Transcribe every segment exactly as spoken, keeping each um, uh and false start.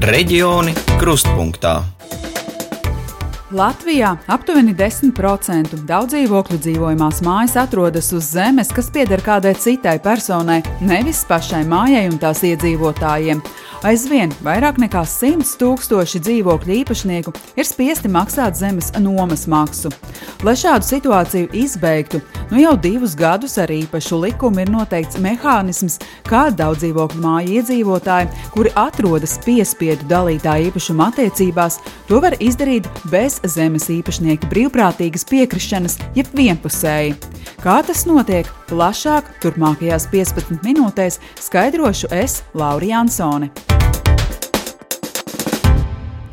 Reģioni krustpunktā. Latvijā aptuveni desmit procenti daudzdzīvokļu dzīvojamās mājas atrodas uz zemes, kas pieder kādai citai personai, nevis pašai mājai un tās iedzīvotājiem. Aizvien vairāk nekā simts tūkstoši dzīvokļu īpašnieku ir spiesti maksāt zemes nomas maksu. Lai šādu situāciju izbeigtu, nu jau divus gadus ar īpašu likumu ir noteikts mehānisms, kā daudzdzīvokļu māju iedzīvotāji, kuri atrodas piespiedu dalītā īpašuma attiecībās, to var izdarīt bez zemes īpašnieka brīvprātīgas piekrišanas, jeb vienpusēji. Kā tas notiek? Plašāk turpmākajās piecpadsmit minūtēs skaidrošu es, Laura Jansone.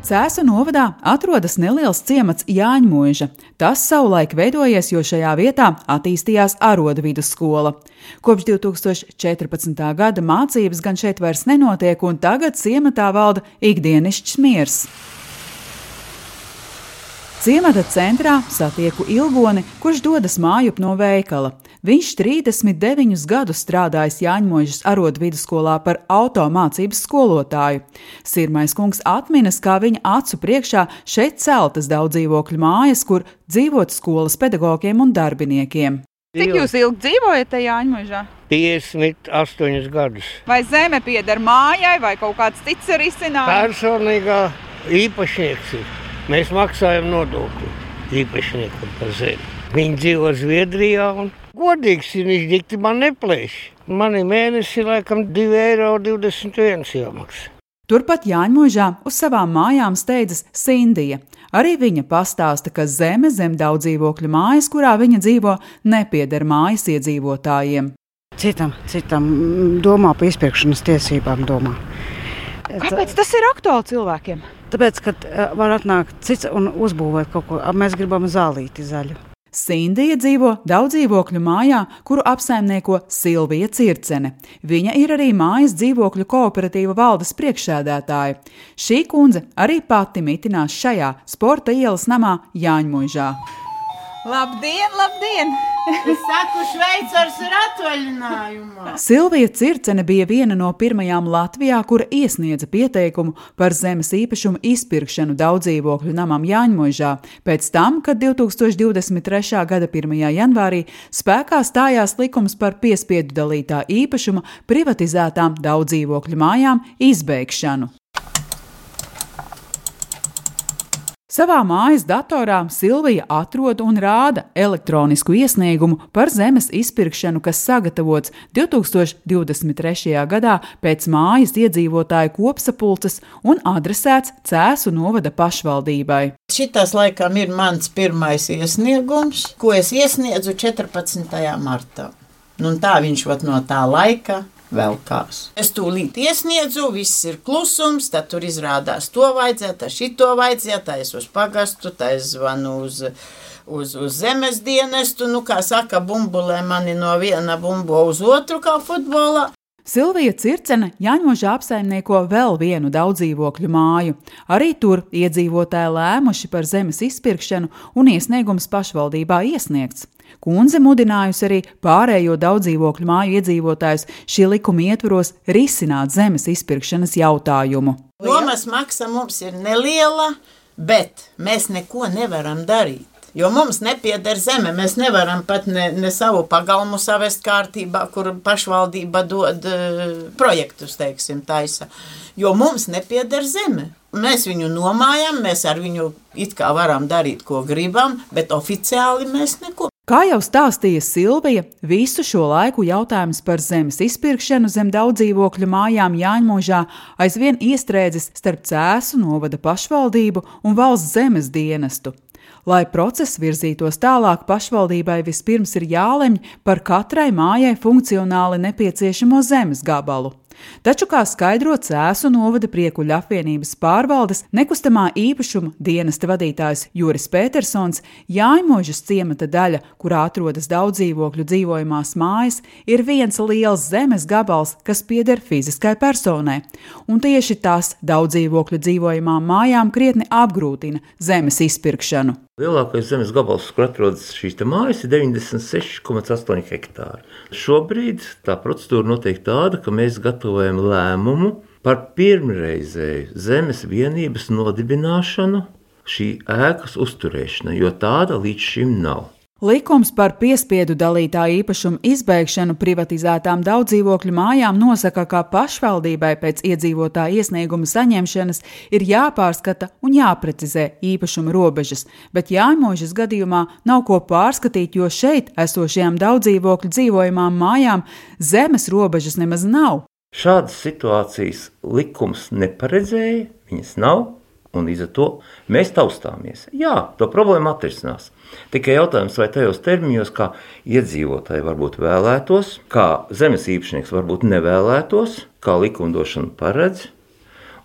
Cēsu novadā atrodas neliels ciemats Jāņmuiža. Tas savulaik veidojies, jo šajā vietā attīstījās arodu vidusskola. Kopš divi tūkstoši četrpadsmitā gada mācības gan šeit vairs nenotiek, un tagad ciematā valda ikdienišķs miers. Ciemata centrā satieku Ilgoni, kurš dodas mājup no veikala. Viņš trīsdesmit deviņus gadus strādājis Jāņmuižas arodu vidusskolā par automācības skolotāju. Sirmais kungs atminas, kā viņa acu priekšā šeit celtas daudzdzīvokļu mājas, kur dzīvot skolas pedagogiem un darbiniekiem. Cik jūs ilgi dzīvojat te Jāņmuižā? piecdesmit astoņus gadus. Vai zeme pieder mājai, vai kaut kāds cits ir izcinājums? Personīgā īpašnieks ir. Mēs maksājam nodokli īpašniekam par zemi. Viņi dzīvo Zviedrijā un godīgs ir, viņš dikti man neplēš. Man ir mēnesi laikam divi eiro divdesmit viens jāmaksā. Turpat Jāņmuižā uz savām mājām steidzas Sindija. Arī viņa pastāsta, ka zeme zem daudzdzīvokļu mājas, kurā viņa dzīvo, nepieder mājas iedzīvotājiem. Citam, citam domā par izpirkšanas tiesībām domā. Kāpēc tas ir aktuāli cilvēkiem? Tāpēc, ka var atnākt cits un uzbūvēt kaut ko. Mēs gribam zālīti zaļu. Sindija dzīvo daudzdzīvokļu mājā, kuru apsaimnieko Silvija Circene. Viņa ir arī mājas dzīvokļu kooperatīva valdes priekšsēdētāja. Šī kundze arī pati mitinās šajā sporta ielas namā Jāņmuižā. Labdien, labdien! Es saku, Šveicars ir atvaļinājumā. Silvija Circene bija viena no pirmajām Latvijā, kura iesniedza pieteikumu par zemes īpašumu izpirkšanu daudzdzīvokļu namam Jāņmuižā, pēc tam, kad divi tūkstoši divdesmit trešā gada pirmajā janvārī spēkā stājās likums par piespiedu dalītā īpašuma privatizētām daudzdzīvokļu mājām izbeigšanu. Savā mājas datorā Silvija atrod un rāda elektronisku iesniegumu par zemes izpirkšanu, kas sagatavots divi tūkstoši divdesmit trešajā gadā pēc mājas iedzīvotāju kopsapulces un adresēts Cēsu novada pašvaldībai. Šitas laikam ir mans pirmais iesniegums, ko es iesniedzu četrpadsmitajā martā. Nu, tā viņš vat no tā laika vēl kās. Es tūlīt iesniedzu, viss ir klusums, tad tur izrādās to vajadzētu, tā šito vajadzētu, tā es uz pagastu, tā es zvanu uz, uz, uz zemes dienestu, nu, kā saka, bumbulē mani no viena bumbo uz otru, kā futbolā. Silvija Circene Jāņmuižā apsaimnieko vēl vienu daudzdzīvokļu māju. Arī tur iedzīvotāji lēmuši par zemes izpirkšanu un iesniegums pašvaldībā iesniegts. Kundze mudinājusi arī pārējo daudzdzīvokļu māju iedzīvotājus šī likuma ietvaros risināt zemes izpirkšanas jautājumu. Nomas maksa mums ir neliela, bet mēs neko nevaram darīt. Jo mums nepieder zeme, mēs nevaram pat ne, ne savu pagalmu savest kārtībā, kur pašvaldība dod uh, projektus, teiksim, taisa. Jo mums nepieder zeme. Mēs viņu nomājam, mēs ar viņu it kā varam darīt, ko gribam, bet oficiāli mēs neko. Kā jau stāstīja Silvija, visu šo laiku jautājums par zemes izpirkšanu zem daudzdzīvokļu mājām Jāņmuižā aizvien iestrēdzis starp Cēsu novada pašvaldību un valsts zemes dienestu. Lai process virzītos tālāk, pašvaldībai vispirms ir jālemj par katrai mājai funkcionāli nepieciešamo zemes gabalu. Taču, kā skaidro Cēsu novada Priekuļu apvienības pārvaldes nekustamā īpašuma dienesta vadītājs Juris Petersons, Jāņmuižas ciemata daļa, kurā atrodas daudzdzīvokļu dzīvojamās mājas, ir viens liels zemes gabals, kas pieder fiziskai personai. Un tieši tas daudzdzīvokļu dzīvojamām mājām krietni apgrūtina zemes izpirkšanu. Lielākais zemes gabals, kur atrodas šīs mājas, ir deviņdesmit seši komats astoņi hektāri. Šobrīd tā procedūra notiek tāda, ka mēs gatavojam lēmumu par pirmreizēju zemes vienības nodibināšanu šī ēkas uzturēšana, jo tāda līdz šim nav. Likums par piespiedu dalītā īpašuma izbeigšanu privatizētām daudzdzīvokļu mājām nosaka, ka pašvaldībai pēc iedzīvotāja iesnieguma saņemšanas ir jāpārskata un jāprecizē īpašuma robežas, bet Jāņmožas gadījumā nav ko pārskatīt, jo šeit esošajām daudzdzīvokļu dzīvojamām mājām zemes robežas nemaz nav. Šādas situācijas likums neparedzēja, viņas nav. Un līdz ar to mēs taustāmies. Jā, to problēmu atrisinās. Tikai jautājums, vai tajos termiņos, kā iedzīvotāji varbūt vēlētos, kā zemes īpašnieks varbūt nevēlētos, kā likumdošana paredz,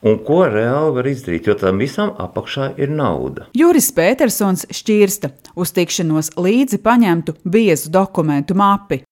un ko reāli var izdarīt, jo tam visam apakšā ir nauda. Juris Pētersons šķirsta uz tikšanos līdzi paņemtu biezu dokumentu mapi.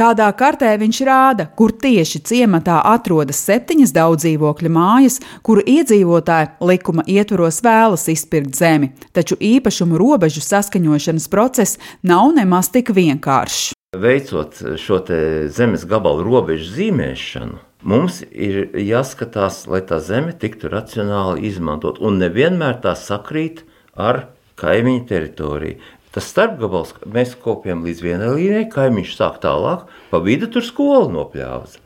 Kādā kartē viņš rāda, kur tieši ciematā atrodas septiņas daudzdzīvokļa mājas, kuru iedzīvotāji likuma ietvaros vēlas izpirkt zemi, taču īpašumu robežu saskaņošanas process nav nemaz tik vienkāršs. Veicot šo te zemes gabalu robežu zīmēšanu, mums ir jāskatās, lai tā zeme tiktu racionāli izmantot, un nevienmēr tā sakrīt ar kaimiņu teritoriju. Tas starpgabals mēs kopjam līdz vienai līnijai, kaimiņš sāk tālāk, pa vidu tur skolu nopļāvas.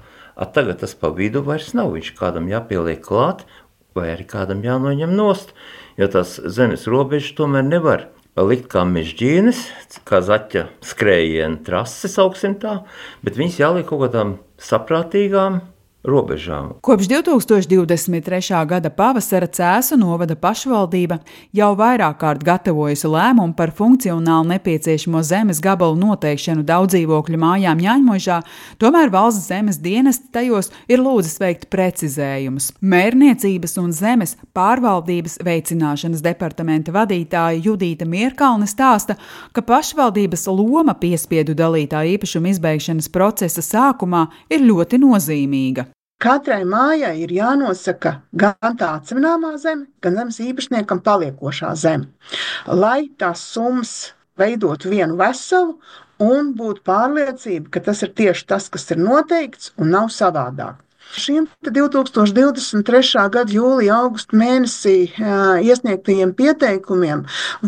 At tagad tas pa vidu vairs nav, viņš kādam jāpieliek klāt, vai arī kādam jānoņem nost, jo tās zemes robežas tomēr nevar likt kā mežģīnes, kā zaķa skrējiena trases, augsim tā, bet viņas jāliek kaut kādām saprātīgām robežām. Kopš divi tūkstoši divdesmit trešā gada pavasara Cēsu novada pašvaldība jau vairāk kārt gatavojusi lēmumu par funkcionāli nepieciešamo zemes gabalu noteikšanu daudzdzīvokļu mājām Jāņmožā, tomēr valsts zemes dienesti tajos ir lūdzis veikt precizējumus. Mērniecības un zemes pārvaldības veicināšanas departamenta vadītāja Judīta Mierkalne stāsta, ka pašvaldības loma piespiedu dalītā īpašuma izbeigšanas procesa sākumā ir ļoti nozīmīga. Katrai mājai ir jānosaka gan tā atsevināmā zeme, gan zemes īpašniekam paliekošā zeme, lai tās summas veidotu vienu veselu un būtu pārliecība, ka tas ir tieši tas, kas ir noteikts un nav savādāk. Šiem divi tūkstoši divdesmit trešā gada jūlija augusta mēnesī jā, iesniegtajiem pieteikumiem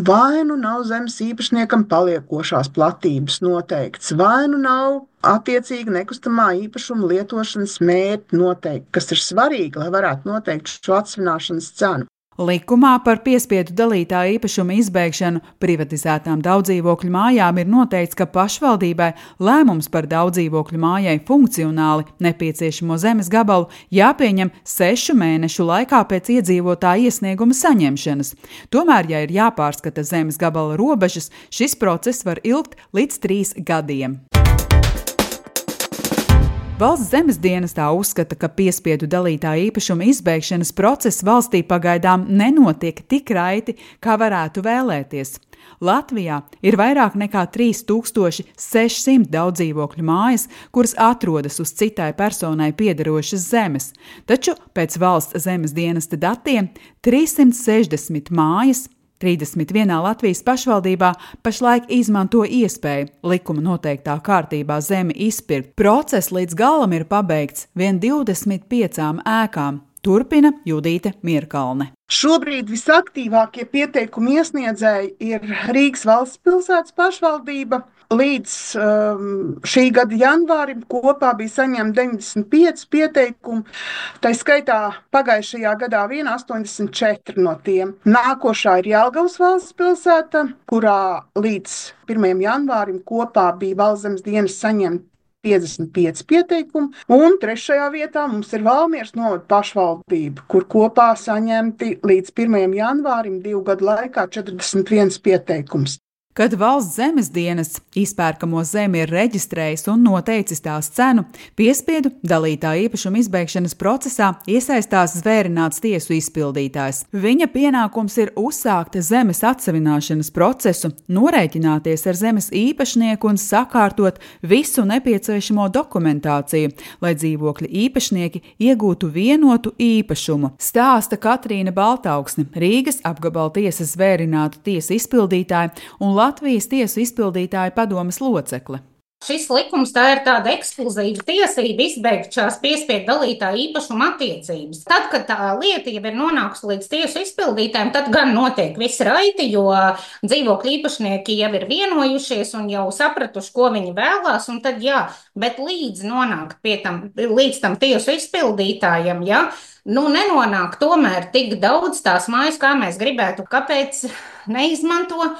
vai nu nav zemes īpašniekam paliekošās platības noteikts, vai nu nav attiecīgi nekustamā īpašuma lietošanas mērķi noteikti, kas ir svarīgi, lai varētu noteikt šo atsvināšanas cenu. Likumā par piespiedu dalītā īpašuma izbeigšanu privatizētām daudzdzīvokļu mājām ir noteikts, ka pašvaldībai lēmums par daudzdzīvokļu mājai funkcionāli nepieciešamo zemes gabalu jāpieņem sešu mēnešu laikā pēc iedzīvotāja iesnieguma saņemšanas. Tomēr, ja ir jāpārskata zemes gabala robežas, šis process var ilgt līdz trīs gadiem. Valsts zemes dienestā uzskata, ka piespiedu dalītā īpašuma izbeigšanas process valstī pagaidām nenotiek tik raiti, kā varētu vēlēties. Latvijā ir vairāk nekā trīs tūkstoši sešsimt daudzdzīvokļu mājas, kuras atrodas uz citai personai piederošas zemes, taču pēc valsts zemes dienesta datiem trīssimt sešdesmit mājas trīsdesmit vienā Latvijas pašvaldībā pašlaik izmanto iespēju likuma noteiktā kārtībā zemi izpirkt. Process līdz galam ir pabeigts vien divdesmit piecām ēkām. Turpina Judīte Mierkalne. Šobrīd visaktīvākie pieteikumu iesniedzēji ir Rīgas valsts pilsētas pašvaldība. Līdz um, šī gada janvārim kopā bija saņemti deviņdesmit pieci pieteikumi, tā skaitā pagājušajā gadā vien astoņdesmit četri no tiem. Nākošā ir Jelgavas valsts pilsēta, kurā līdz pirmajam janvārim kopā bija valsts zemes dienas saņemti piecdesmit pieci pieteikumi, un trešajā vietā mums ir Valmieras novada pašvaldība, kur kopā saņemti līdz pirmajam janvārim divu gadu laikā četrdesmit viens pieteikums. Kad valsts zemes dienests izpērkamo zemi ir reģistrējis un noteicis tās cenu, piespiedu dalītā īpašuma izbeigšanas procesā iesaistās zvērināts tiesu izpildītājs. Viņa pienākums ir uzsākt zemes atsevināšanas procesu, norēķināties ar zemes īpašnieku un sakārtot visu nepieciešamo dokumentāciju, lai dzīvokļa īpašnieki iegūtu vienotu īpašumu. Stāsta Katrīna Baltauksne, Rīgas apgabala tiesas zvērinātu tiesu izpildītāja un Latvijas tiesu izpildītāja padomes locekle. Šis likums tā ir tāda ekskluzīva tiesība izbeigt šās piespiedu dalītāja īpašuma attiecības. Tad, kad tā lieta jau ir nonākusi līdz tiesu izpildītājiem, tad gan notiek viss raiti, jo dzīvokļu īpašnieki jau ir vienojušies un jau sapratuši, ko viņi vēlās, un tad jā, bet līdz nonākt pie tam, līdz tam tiesu izpildītājiem, jā, nu nenonāk tomēr tik daudz tās mājas, kā mēs gribētu, kāpēc neizmanto.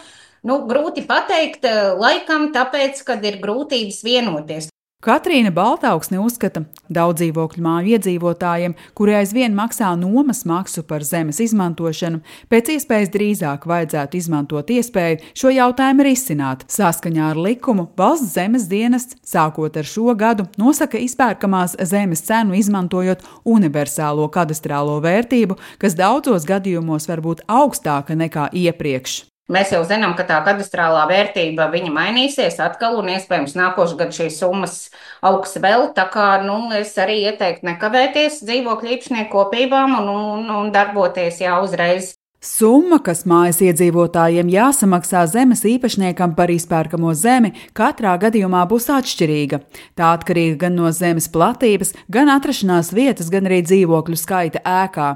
Nu, grūti pateikt, laikam tāpēc, kad ir grūtības vienoties. Katrīna Baltauksne uzskata, daudz dzīvokļu māju iedzīvotājiem, kuri aizvien maksā nomas maksu par zemes izmantošanu, pēc iespējas drīzāk vajadzētu izmantot iespēju šo jautājumu risināt. Saskaņā ar likumu Valsts zemes dienests, sākot ar šo gadu, nosaka izpērkamās zemes cenu izmantojot universālo kadastrālo vērtību, kas daudzos gadījumos var būt augstāka nekā iepriekš. Mēs jau zinām, ka tā kadastrālā vērtība viņa mainīsies atkal un iespējams nākošu gadu šīs summas augs vēl, tā kā, nu, es arī ieteiktu nekavēties dzīvokļu īpašnieku kopībām un, un, un darboties jau uzreiz. Summa, kas mājas iedzīvotājiem jāsamaksā zemes īpašniekam par izpērkamo zemi, katrā gadījumā būs atšķirīga. Tā atkarīga gan no zemes platības, gan atrašanās vietas, gan arī dzīvokļu skaita ēkā.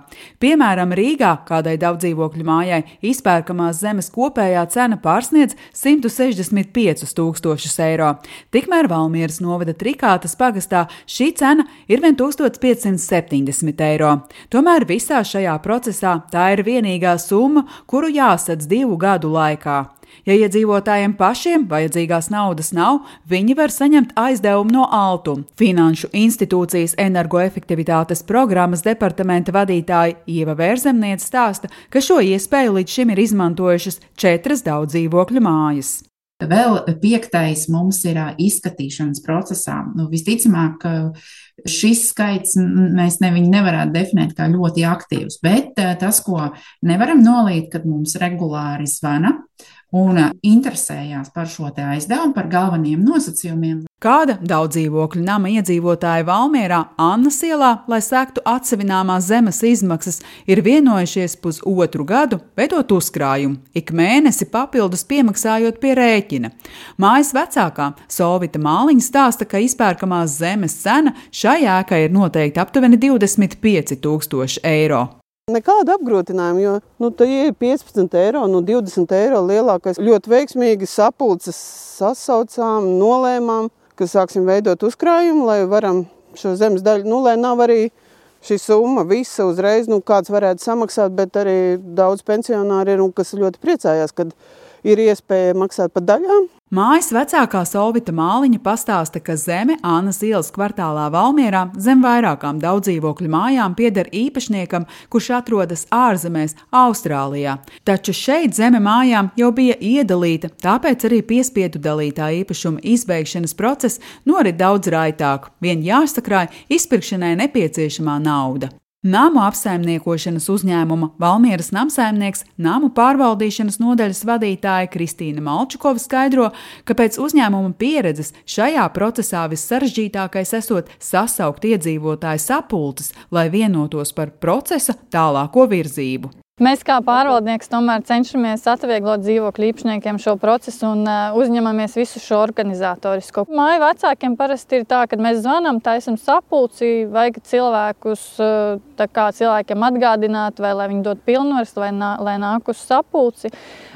Piemēram, Rīgā kādai daudzdzīvokļu mājai izpērkamās zemes kopējā cena pārsniedz simt sešdesmit piecus tūkstošus eiro. Tikmēr Valmieras novada Trikātas pagastā šī cena ir vien tūkstoš piecsimt septiņdesmit eiro. Tomēr visā šajā procesā tā ir vienīgā summa, kuru jāsadz divu gadu laikā. Ja iedzīvotājiem pašiem vajadzīgās naudas nav, viņi var saņemt aizdevumu no Altum. Finanšu institūcijas energoefektivitātes programmas departamenta vadītāja Ieva Vērzemniece stāsta, ka šo iespēju līdz šim ir izmantojušas četras daudzdzīvokļu mājas. Vēl piektais mums ir izskatīšanas procesā. Nu, visticamāk, šis skaits mēs ne, viņu nevarētu definēt kā ļoti aktīvs, bet tas, ko nevaram nolīt, kad mums regulāri zvana un interesējās par šo te aizdevumu, par galveniem nosacījumiem. Kāda daudzdzīvokļu nama iedzīvotāja Valmierā Annas ielā, lai sektu atsevināmās zemes izmaksas, ir vienojušies pusotru gadu veidot uzkrājumu, ik mēnesi papildus piemaksājot pie rēķina. Mājas vecākā Solvita Māliņa stāsta, ka izpērkamās zemes cena šai ēkai ir noteikti aptuveni divdesmit pieci tūkstoši eiro. Nekāda apgrūtinājuma, jo nu, tā ir piecpadsmit eiro, nu divdesmit eiro lielākais. Ļoti veiksmīgi sapulces sasaucām, nolēmām, ka sāksim veidot uzkrājumu, lai varam šo zemes daļu, nu, lai nav arī šī summa visa uzreiz, nu, kāds varētu samaksāt, bet arī daudz pensionāri ir un kas ļoti priecājās, kad ir iespēja maksāt par daļām. Mājas vecākā Solvita Māliņa pastāsta, ka zeme Annas ielas kvartālā Valmierā zem vairākām daudzdzīvokļu mājām pieder īpašniekam, kurš atrodas ārzemēs Austrālijā. Taču šeit zeme mājām jau bija iedalīta, tāpēc arī piespiedu dalītā īpašuma izbeigšanas process norit daudz raitāk. Vien jāsakrāj izpirkšanai nepieciešamā nauda. Namu apsaimniekošanas uzņēmuma Valmieras namsaimnieks, namu pārvaldīšanas nodaļas vadītāja Kristīna Malčukova skaidro, ka pēc uzņēmuma pieredzes šajā procesā vissarežģītākais esot sasaukt iedzīvotāju sapulces, lai vienotos par procesa tālāko virzību. Mēs kā pārvaldnieks tomēr cenšamies atvieglot dzīvokļu īpašniekiem šo procesu un uh, uzņemamies visu šo organizatorisko. Māju vecākiem parasti ir tā, ka mēs zvanām, taisam sapulci, vajag cilvēkus, uh, tā kā cilvēkiem atgādināt, vai lai viņi dod pilnvaras, vai nā, lai nāk uz sapulci.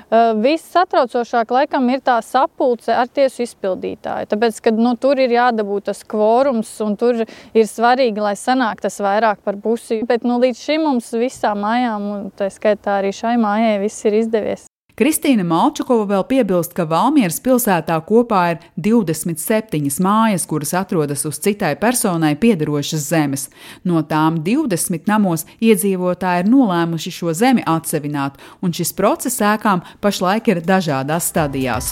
Uh, viss satraucošāk laikam ir tā sapulce ar tiesu izpildītāju, tāpēc, ka nu, tur ir jādabū tas kvorums un tur ir svarīgi, lai sanāk tas vairāk par pusi. Bet nu, līdz šim mums visām mājām, un tā skaitā arī šai mājai, viss ir izdevies. Kristīna Malčukova vēl piebilst, ka Valmieras pilsētā kopā ir divdesmit septiņas mājas, kuras atrodas uz citai personai piederošas zemes. No tām divdesmit namos iedzīvotāji ir nolēmuši šo zemi atsevināt, un šis process ēkām pašlaik ir dažādās stadijās.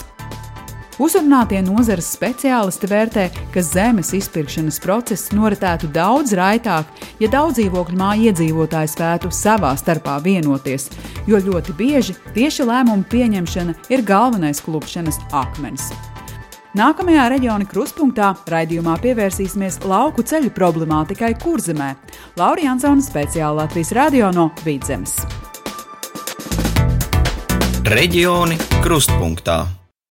Uzrunātie nozares speciālisti vērtē, ka zemes izpirkšanas process noritētu daudz raitāk, ja daudzdzīvokļu māju iedzīvotāji spētu savā starpā vienoties, jo ļoti bieži tieši lēmumu pieņemšana ir galvenais klupšanas akmens. Nākamajā reģiona kruspunktā raidījumā pievērsīsimies lauku ceļu problemātikai Kurzemē. Laura Jansone, speciāli Latvijas radio no Vidzemes. Reģioni krustpunktā.